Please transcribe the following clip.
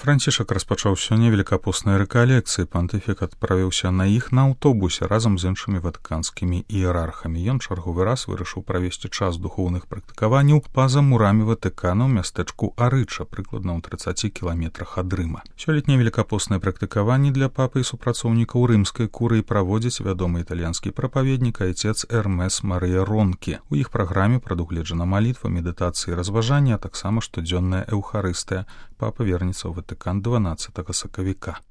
Францішак распачаў сёння велікапосныя рэкалекцыі. Пантыфік адправіўся на іх на аўтобусе разам з іншымі ватыканскімі іерархамі. Ён чарговы раз вырашыў правесці час духоўных практыкаванняў па-за мурамі Ватыкана ў мястэчку Арыча, прыкладна ў 30 кіламетрах ад Рыма. Сёлетнія велікапосныя практыкаванні для папы і супрацоўнікаў рымскай курыі праводзіць вядомы італьянскі прапаведнік айцец Эрмес Марыя Ронкі. У іх праграме прадугледжана малітва, медытацыі, разважанні, а таксама штодзённая эўхарыстыя. Папа вернецца ў Ватыкан 12 сакавіка.